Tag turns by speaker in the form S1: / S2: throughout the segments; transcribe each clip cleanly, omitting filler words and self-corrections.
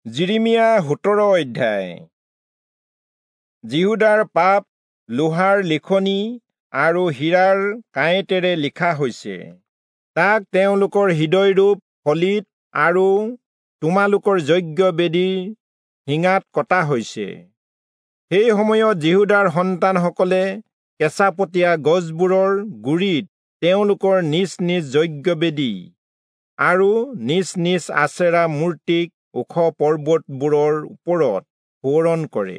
S1: যিৰিমিয়া 17 অধ্যায়। যিহূদাৰ পাপ লোহাৰ লিখনি আৰু হীৰাৰ কাঁইটেৰে লিখা হৈছে। তাক তেওঁলোকৰ হৃদয়ৰূপ ফলিত আৰু তোমালোকৰ যজ্ঞ বেদীৰ শিঙাত কটা হৈছে। সেই সময়ত যিহূদাৰ সন্তানসকলে কেঁচাপতীয়া গছবোৰৰ গুৰিত তেওঁলোকৰ নিজ নিজ যজ্ঞ বেদী আৰু নিজ নিজ আচেৰা মূৰ্তিক ওখ পৰ্বতবোৰৰ ওপৰত সোঁৱৰণ কৰে।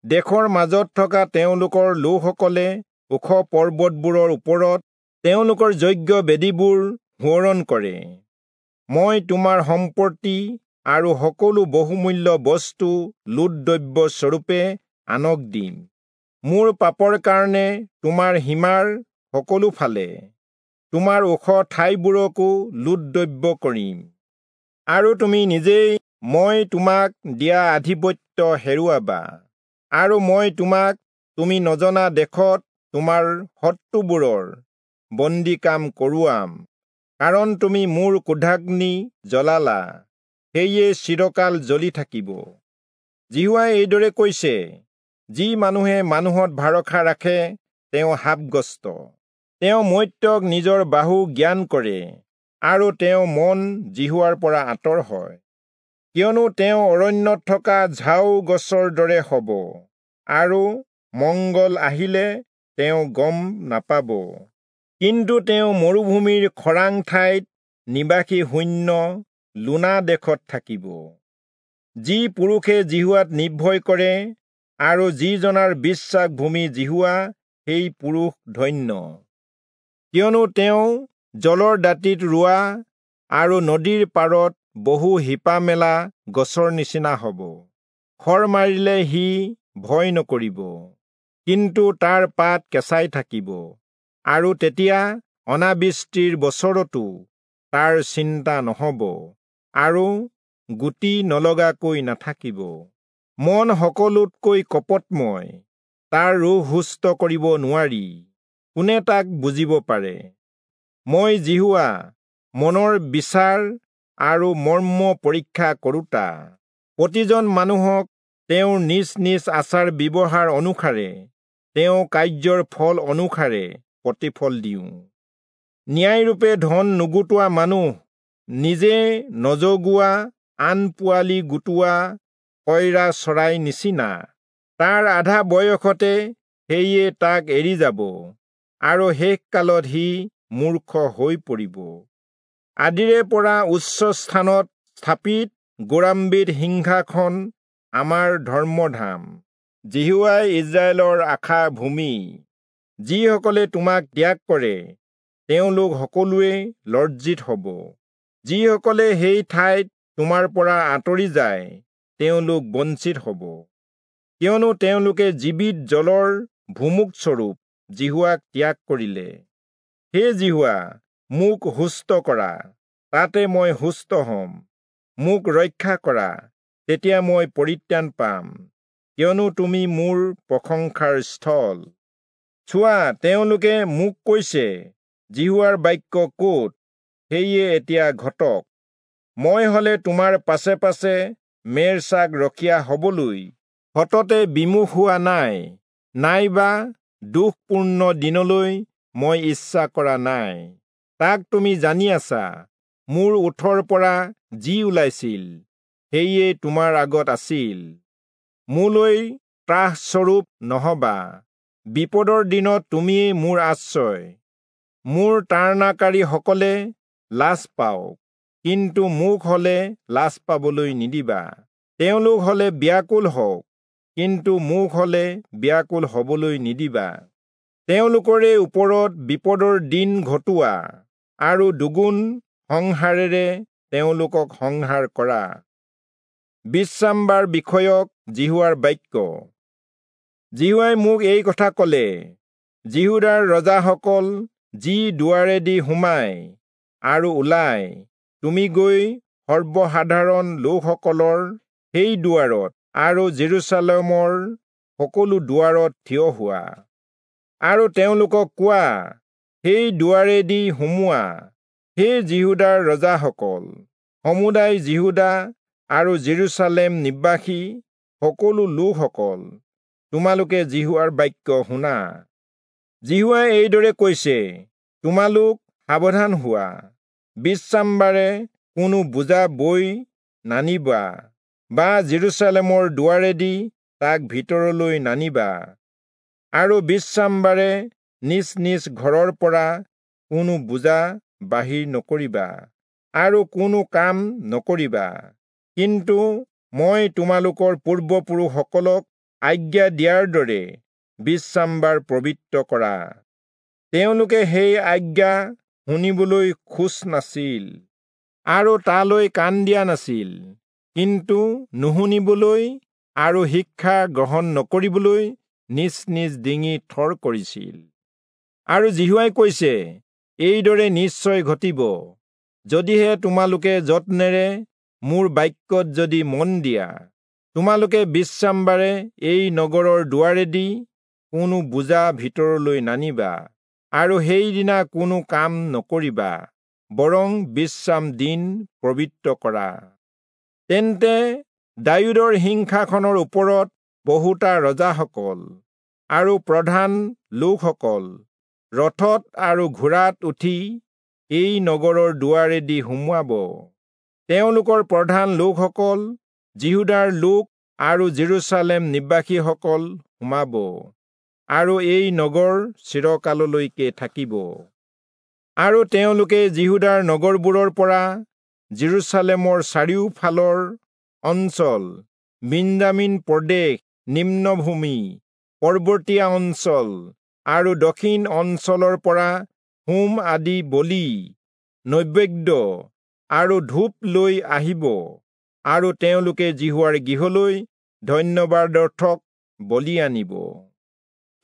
S1: দেশৰ মাজত থকা তেওঁলোকৰ লোকসকলে ওখ পৰ্বতবোৰৰ ওপৰত তেওঁলোকৰ যজ্ঞ বেদীবোৰ সোঁৱৰণ কৰে। মই তোমাৰ সম্পত্তি আৰু সকলো বহুমূল্য বস্তু লুটদ্ৰব্য স্বৰূপে আনক দিম। মোৰ পাপৰ কাৰণে তোমাৰ সীমাৰ সকলো ফালে তোমাৰ ওখ ঠাইবোৰকো লুটদ্ৰব্য কৰিম, আৰু তুমি নিজেই মই তোমাক দিয়া আধিপত্য হেৰুৱাবা, আৰু মই তোমাক তুমি নজনা দেশত তোমাৰ শত্ৰুবোৰৰ বন্দী কাম কৰোৱাম, কাৰণ তুমি মোৰ ক্ৰোধাগ্নি জ্বলালা, সেয়ে চিৰকাল জ্বলি থাকিব। যিহোৱাই এইদৰে কৈছে, যি মানুহে মানুহত ভৰসা ৰাখে তেওঁ শাপগ্ৰস্ত। তেওঁ মৰ্ত্যক নিজৰ বাহু জ্ঞান কৰে, আৰু তেওঁ মন যিহোৱাৰ পৰা আঁতৰ হয়। কিয়নো তেওঁ অৰণ্যত থকা ঝাও গছৰ দৰে হ'ব, আৰু মংগল আহিলে তেওঁ গম নাপাব। কিন্তু তেওঁ মৰুভূমিৰ খৰাং ঠাইত নিবাসী শূন্য লোনা দেশত থাকিব। যি পুৰুষে যিহোৱাত নিৰ্ভয় কৰে আৰু যিজনাৰ বিশ্বাস ভূমি যিহোৱা, সেই পুৰুষ ধন্য। কিয়নো তেওঁ জলৰ দাঁতিত ৰোৱা আৰু নদীৰ পাৰত বহু শিপা মেলা গছৰ নিচিনা হ'ব। খৰ মাৰিলে সি ভয় নকৰিব, কিন্তু তাৰ পাত কেঁচাই থাকিব, আৰু তেতিয়া অনাবৃষ্টিৰ বছৰতো তাৰ চিন্তা নহ'ব, আৰু গুটি নলগাকৈ নাথাকিব। মন সকলোতকৈ কপটময়, তাৰ ৰোগ সুস্থ কৰিব নোৱাৰি, কোনে তাক বুজিব পাৰে? মই যিহোৱা, মনৰ বিচাৰ আৰু মৰ্ম পৰীক্ষা কৰোঁতা, প্ৰতিজন মানুহক তেওঁৰ নিজ নিজ আচাৰ ব্যৱহাৰ অনুসাৰে, তেওঁ কাৰ্যৰ ফল অনুসাৰে প্ৰতিফল দিওঁ। ন্যায়ৰূপে ধন নুগুটোৱা মানুহ, নিজে নজগোৱা আন পোৱালি গোটোৱা কয়ৰা চৰাই নিচিনা। তাৰ আধা বয়সতে সেয়ে তাক এৰি যাব, আৰু শেষকালত সি মূৰ্খ হৈ পৰিব। আদিৰে পৰা উচ্চ স্থানত স্থাপিত গৌৰাম্বিত সিংহাসন আমাৰ ধৰ্মধাম। যিহোৱাই ইস্ৰায়েলৰ আশা ভূমি। যিসকলে তোমাক ত্যাগ কৰে তেওঁলোক সকলোৱে লজ্জিত হ'ব। যিসকলে সেই ঠাইত তোমাৰ পৰা আঁতৰি যায় তেওঁলোক বঞ্চিত হ'ব, কিয়নো তেওঁলোকে জীৱিত জলৰ ভুমুকস্বৰূপ যিহোৱাক ত্যাগ কৰিলে। হে যিহোৱা, মোক সুস্থ কৰা, তাতে মই সুস্থ হ'ম। মোক ৰক্ষা কৰা, তেতিয়া মই পৰিত্ৰাণ পাম, কিয়নো তুমি মোৰ প্ৰশংসাৰ স্থল। চোৱা, তেওঁলোকে মোক কৈছে, যিহোৱাৰ বাক্য ক'ত? সেয়ে এতিয়া ঘটক। মই হলে তোমাৰ পাছে পাছে মেৰ ছাগ ৰখীয়া হবলৈ সততে বিমুখ হোৱা নাই, নাইবা দুখপূৰ্ণ দিনলৈ মই ইচ্ছা কৰা নাই। তাক তুমি জানি আছা। মোৰ ওঁঠৰ পৰা যি ওলাইছিল সেয়ে তোমাৰ আগত আছিল। মোলৈ ত্ৰাসস্বৰূপ নহবা, বিপদৰ দিনত তুমিয়েই মোৰ আশ্ৰয়। মোৰ তাৰণাকাৰীসকলে লাজ পাওক, কিন্তু মোক হলে লাজ পাবলৈ নিদিবা। তেওঁলোক হলে ব্যাকুল হওক, কিন্তু মোক হলে ব্যাকুল হবলৈ নিদিবা। তেওঁলোকৰে ওপৰত বিপদৰ দিন ঘটোৱা, আৰু দুগুণ সংহাৰেৰে তেওঁলোকক সংহাৰ কৰা। বিশ্ৰামবাৰ বিষয়ক যিহোৱাৰ বাক্য। যিহোৱাই মোক এই কথা ক'লে, যিহূদাৰ ৰজাসকল যি দুৱাৰেদি সোমায় আৰু ওলায়, তুমি গৈ সৰ্বসাধাৰণ লোকসকলৰ সেই দুৱাৰত আৰু জেৰুচালেমৰ সকলো দুৱাৰত থিয় হোৱা, আৰু তেওঁলোকক কোৱা, সেই দুৱাৰেদি সোমোৱা। হে যিহূদাৰ ৰজাসকল, সমুদায় যিহূদা আৰু যিৰূচালেম নিবাসী সকলো লোকসকল, তোমালোকে যিহোৱাৰ বাক্য শুনা। যিহোৱাই এইদৰে কৈছে, তোমালোক সাৱধান হোৱা, বিশ্ৰামবাৰে কোনো বোজা বৈ নানিবা বা যিৰূচালেমৰ দুৱাৰেদি তাক ভিতৰলৈ নানিবা, আৰু বিশ্ৰামবাৰে নিজ নিজ ঘৰৰ পৰা কোনো বোজা বাহিৰ নকৰিবা আৰু কোনো কাম নকৰিবা। কিন্তু মই তোমালোকৰ পূৰ্বপুৰুষসকলক আজ্ঞা দিয়াৰ দৰে বিশ্ৰামবাৰ পবিত্ৰ কৰা। তেওঁলোকে সেই আজ্ঞা শুনিবলৈ খোজ নাছিল আৰু তালৈ কাণ দিয়া নাছিল, কিন্তু নুশুনিবলৈ আৰু শিক্ষা গ্ৰহণ নকৰিবলৈ নিজ নিজ ডিঙি থৰ কৰিছিল। আৰু যিহোৱাই কৈছে, এইদৰে নিশ্চয় ঘটিব, যদিহে তোমালোকে যত্নেৰে মোৰ বাক্যত যদি মন দিয়া, তোমালোকে বিশ্ৰামবাৰে এই নগৰৰ দুৱাৰেদি কোনো বোজা ভিতৰলৈ নানিবা আৰু সেইদিনা কোনো কাম নকৰিবা, বৰং বিশ্ৰাম দিন পবিত্ৰ কৰা। তেন্তে দায়ূদৰ সিংহাসনৰ ওপৰত বহুতা ৰজাসকল আৰু প্ৰধান লোকসকল ৰথত আৰু ঘোঁৰাত উঠি এই নগৰৰ দুৱাৰেদি সোমোৱাব। তেওঁলোকৰ প্ৰধান লোকসকল, যিহূদাৰ লোক আৰু যিৰূচালেম নিবাসীসকল সোমাব, আৰু এই নগৰ চিৰকাললৈকে থাকিব। আৰু তেওঁলোকে যিহূদাৰ নগৰবোৰৰ পৰা যিৰূচালেমৰ চাৰিওফালৰ অঞ্চল, বিন্যামীন প্ৰদেশ, নিম্নভূমি, পৰ্বতীয়া অঞ্চল আৰু দক্ষিণ অঞ্চলৰ পৰা হোম আদি বলি, নৈবেদ্য আৰু ধূপ লৈ আহিব, আৰু তেওঁলোকে যিহোৱাৰ গৃহলৈ ধন্যবাদাৰ্থক বলি আনিব।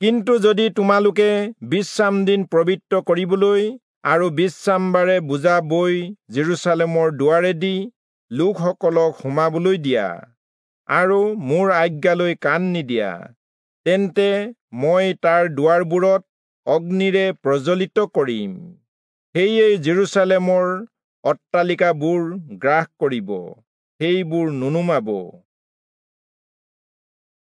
S1: কিন্তু যদি তোমালোকে বিশ্ৰাম দিন পবিত্ৰ কৰিবলৈ আৰু বিশ্ৰামবাৰে বোজা বৈ যিৰূচালেমৰ দুৱাৰেদি লোকসকলক সোমাবলৈ দিয়া আৰু মোৰ আজ্ঞালৈ কাণ নিদিয়া, তেন্তে মই তাৰ দুৱাৰবোৰত অগ্নিৰে প্ৰজ্বলিত কৰিম, সেয়ে যিৰূচালেমৰ অট্টালিকাবোৰ গ্ৰাস কৰিব, সেইবোৰ নুনুমাব।